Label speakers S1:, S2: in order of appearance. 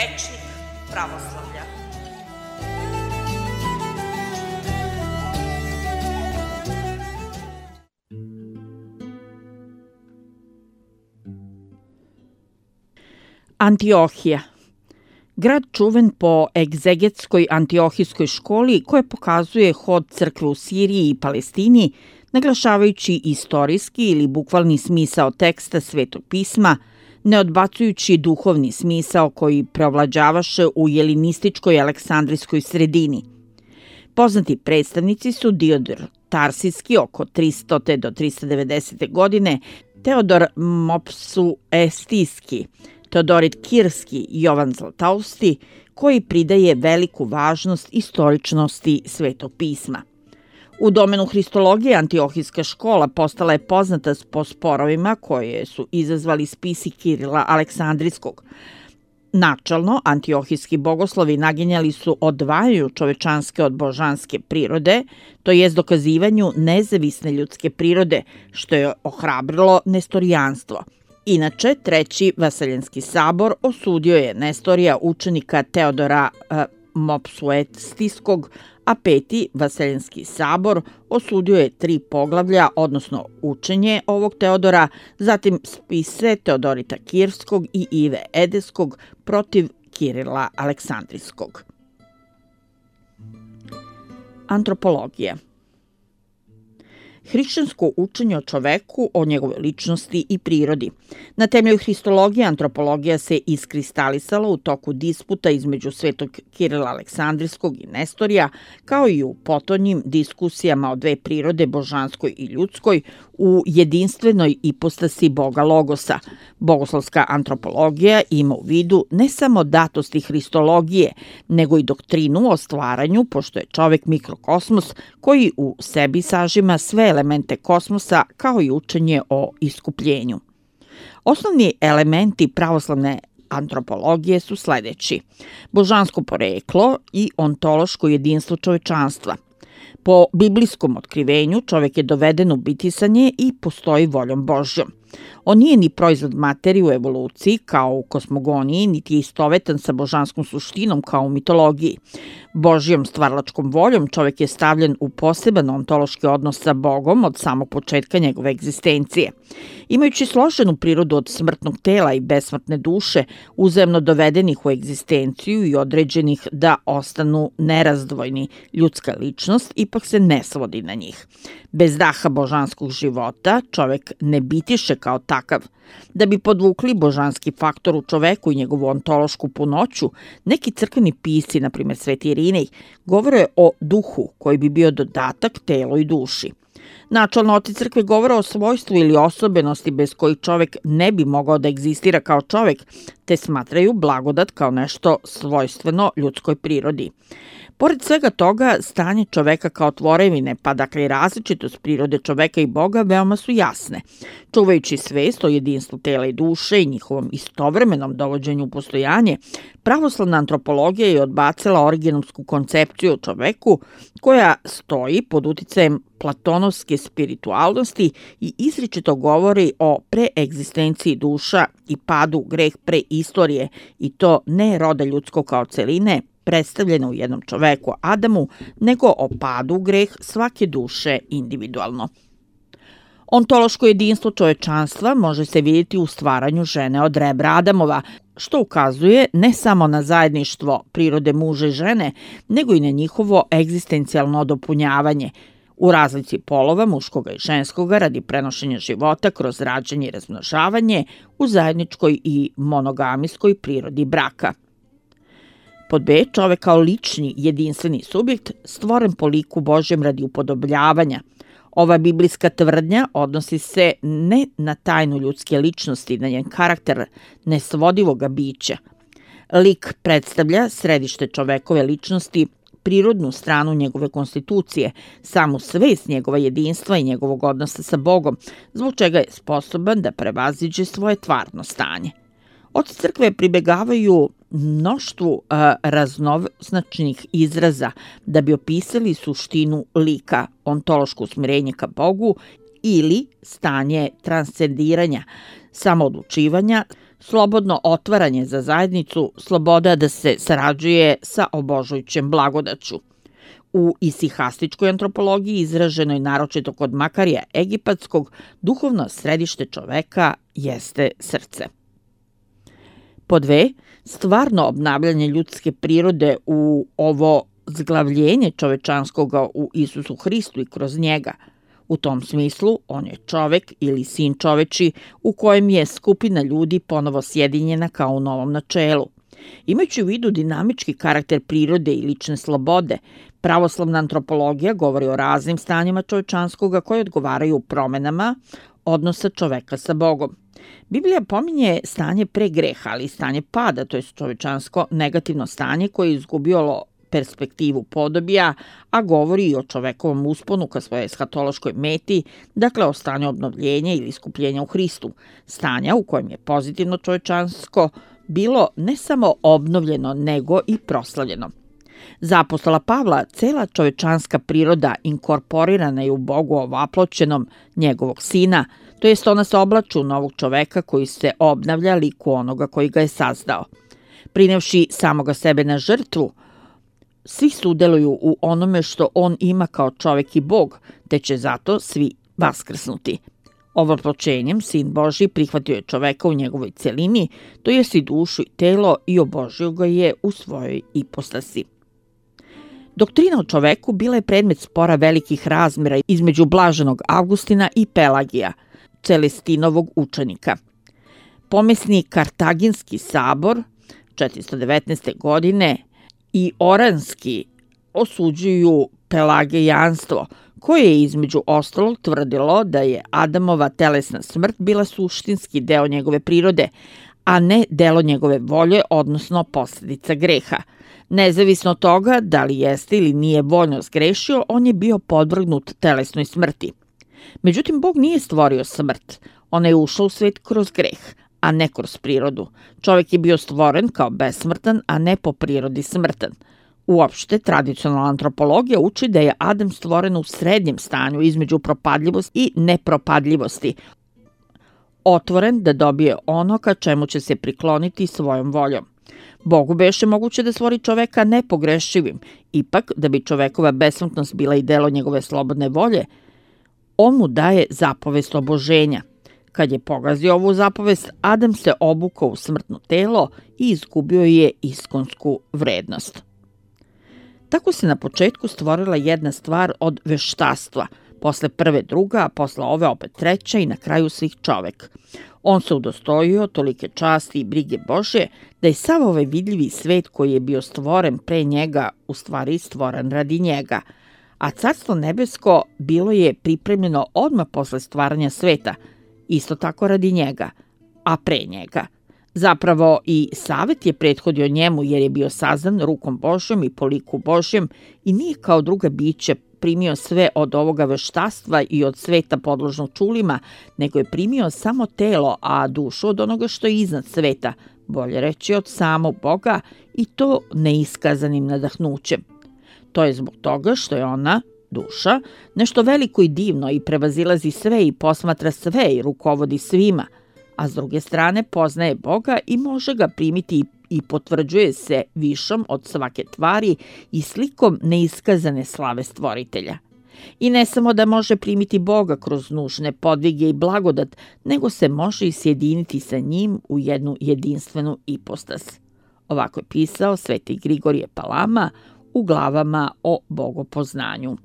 S1: rečnik pravoslavlja.
S2: Antiohija. Grad čuven po egzegetskoj antiohijskoj školi koja pokazuje hod crkve u Siriji i Palestini, naglašavajući istorijski ili bukvalni smisao teksta Svetog pisma, ne odbacujući duhovni smisao koji preovlađavaše u jelinističkoj aleksandrijskoj sredini. Poznati predstavnici su Diodor Tarsijski oko 300. do 390. godine, Teodor Mopsuestijski, Teodorit Kirski i Jovan Zlatousti, koji pridaje veliku važnost istoričnosti Svetog pisma. U domenu hristologije Antiohijska škola postala je poznata po sporovima koje su izazvali spisi Kirila Aleksandrijskog. Načalno, antiohijski bogoslovi naginjali su odvajanju čovečanske od božanske prirode, to jest dokazivanju nezavisne ljudske prirode, što je ohrabrilo nestorijanstvo. Inače, Treći Vaseljenski sabor osudio je Nestorija učenika Teodora Mopsuestijskog, a Peti Vaseljenski sabor osudio je 3 poglavlja, odnosno učenje ovog Teodora, zatim spise Teodorita Kirskog i Ive Edeskog protiv Kirila Aleksandrijskog. Antropologija. Hrišćansko učenje o čoveku, o njegovoj ličnosti i prirodi. Na temelju hristologije antropologija se iskristalisala u toku disputa između Svetog Kirila Aleksandrijskog i Nestorija, kao i u potonjim diskusijama o 2 prirode, božanskoj i ljudskoj, u jedinstvenoj ipostasi Boga Logosa. Bogoslovska antropologija ima u vidu ne samo datosti hristologije, nego i doktrinu o stvaranju, pošto je čovek mikrokosmos koji u sebi sažima sve elemente kosmosa, kao i učenje o iskupljenju. Osnovni elementi pravoslavne antropologije su sledeći: božansko poreklo i ontološko jedinstvo čovečanstva. Po biblijskom otkrivenju čovek je doveden u bitisanje i postoji voljom Božjom. On nije ni proizvod materije u evoluciji kao u kosmogoniji, niti je istovetan sa božanskom suštinom kao u mitologiji. Božjom stvaralačkom voljom čovek je stavljen u poseban ontološki odnos sa Bogom od samog početka njegove egzistencije. Imajući složenu prirodu od smrtnog tela i besmrtne duše, uzajamno dovedenih u egzistenciju i određenih da ostanu nerazdvojni, ljudska ličnost ipak se ne svodi na njih. Bez daha božanskog života čovek ne bitiše kao takav. Da bi podvukli božanski faktor u čoveku i njegovu ontološku punoću, neki crkveni pisci, na primjer Sveti Irinej, govore o duhu koji bi bio dodatak telu i duši. Načalno oci crkve govore o svojstvu ili osobenosti bez kojih čovek ne bi mogao da egzistira kao čovek, te smatraju blagodat kao nešto svojstveno ljudskoj prirodi. Pored svega toga, stanje čoveka kao tvorevine, pa dakle i različitost prirode čoveka i Boga, veoma su jasne. Čuvajući svest o jedinstvu tela i duše i njihovom istovremenom dovođenju u postojanje, pravoslavna antropologija je odbacila originalsku koncepciju o čoveku koja stoji pod uticajem platonovske spiritualnosti i izričito govori o preegzistenciji duša i padu greh preistorije, i to ne roda ljudskog kao celine, predstavljeno u jednom čoveku Adamu, nego o padu greh svake duše individualno. Ontološko jedinstvo čovečanstva može se vidjeti u stvaranju žene od rebra Adamova, što ukazuje ne samo na zajedništvo prirode muža i žene, nego i na njihovo egzistencijalno dopunjavanje u razlici polova muškoga i ženskoga radi prenošenja života kroz rađanje i razmnožavanje u zajedničkoj i monogamijskoj prirodi braka. Pod B, čovek kao lični, jedinstveni subjekt, stvoren po liku Božjem radi upodobljavanja. Ova biblijska tvrdnja odnosi se ne na tajnu ljudske ličnosti, na njen karakter nesvodivoga bića. Lik predstavlja središte čovekove ličnosti, prirodnu stranu njegove konstitucije, samu svest njegova jedinstva i njegovog odnosa sa Bogom, zbog čega je sposoban da prevaziđe svoje tvarno stanje. Oci crkve pribegavaju mnoštvu raznoznačnih izraza da bi opisali suštinu lika, ontološko usmerenje ka Bogu ili stanje transcendiranja, samoodlučivanja, slobodno otvaranje za zajednicu, sloboda da se sarađuje sa obožujućem blagodaću. U isihastičkoj antropologiji izraženoj naročito kod Makarija Egipatskog, duhovno središte čoveka jeste srce. Pod 2. Stvarno obnavljanje ljudske prirode u ovo zglavljenje čovečanskoga u Isusu Hristu i kroz njega. U tom smislu, on je čovek ili sin čoveči u kojem je skupina ljudi ponovo sjedinjena kao u novom načelu. Imajući u vidu dinamički karakter prirode i lične slobode, pravoslavna antropologija govori o raznim stanjima čovečanskoga koje odgovaraju promenama odnosa čoveka sa Bogom. Biblija pominje stanje pre greha, ali i stanje pada, to je čovečansko negativno stanje koje je izgubilo perspektivu podobija, a govori i o čovekovom usponu ka svojoj eshatološkoj meti, dakle o stanju obnovljenja ili iskupljenja u Hristu, stanja u kojem je pozitivno čovečansko bilo ne samo obnovljeno, nego i proslavljeno. Za apostola Pavla, cela čovečanska priroda inkorporirana je u Bogu ovaploćenom njegovog sina, to jest ona se oblači u novog čoveka koji se obnavlja liku onoga koji ga je sazdao. Prinevši samoga sebe na žrtvu, svi sudeluju u onome što on ima kao čovek i Bog, te će zato svi vaskrsnuti. Ovaploćenjem Sin Božji prihvatio je čoveka u njegovoj celini, to jest i dušu i telo, i obožio ga je u svojoj ipostasi. Doktrina o čoveku bila je predmet spora velikih razmjera između blaženog Avgustina i Pelagija, Celestinovog učenika. Pomesni Kartaginski sabor 419. godine i Oranski osuđuju pelagijanstvo, koje je između ostalog tvrdilo da je Adamova telesna smrt bila suštinski deo njegove prirode, a ne delo njegove volje, odnosno posljedica greha. Nezavisno od toga da li jeste ili nije voljno zgrešio, on je bio podvrgnut telesnoj smrti. Međutim, Bog nije stvorio smrt. Ona je ušla u svet kroz greh, a ne kroz prirodu. Čovjek je bio stvoren kao besmrtan, a ne po prirodi smrtan. Uopšte, tradicionalna antropologija uči da je Adam stvoren u srednjem stanju između propadljivosti i nepropadljivosti, otvoren da dobije ono ka čemu će se prikloniti svojom voljom. Bogu beše moguće da stvori čoveka nepogrešivim, ipak da bi čovekova besmrtnost bila i delo njegove slobodne volje, on mu daje zapovest oboženja. Kad je pogazio ovu zapovest, Adam se obukao u smrtno telo i izgubio je iskonsku vrednost. Tako se na početku stvorila jedna stvar od veštastva, posle prve druga, a posle ove opet treća i na kraju svih čovek. On se udostojio tolike časti i brige Božje da je sav ovaj vidljivi svet koji je bio stvoren pre njega u stvari stvoren radi njega, a carstvo nebesko bilo je pripremljeno odmah posle stvaranja sveta, isto tako radi njega, a pre njega. Zapravo i Savet je prethodio njemu jer je bio sazdan rukom Božjom i po liku Božjem i nije kao druga biće primio sve od ovoga veštastva i od sveta podložnog čulima, nego je primio samo telo, a dušu od onoga što je iznad sveta, bolje reći od samog Boga, i to neiskazanim nadahnućem. To je zbog toga što je ona, duša, nešto veliko i divno i prevazilazi sve i posmatra sve i rukovodi svima, a s druge strane poznaje Boga i može ga primiti i potvrđuje se višom od svake tvari i slikom neiskazane slave stvoritelja. I ne samo da može primiti Boga kroz nužne podvige i blagodat, nego se može i sjediniti sa njim u jednu jedinstvenu ipostas. Ovako je pisao sveti Grigorije Palama u glavama o bogopoznanju.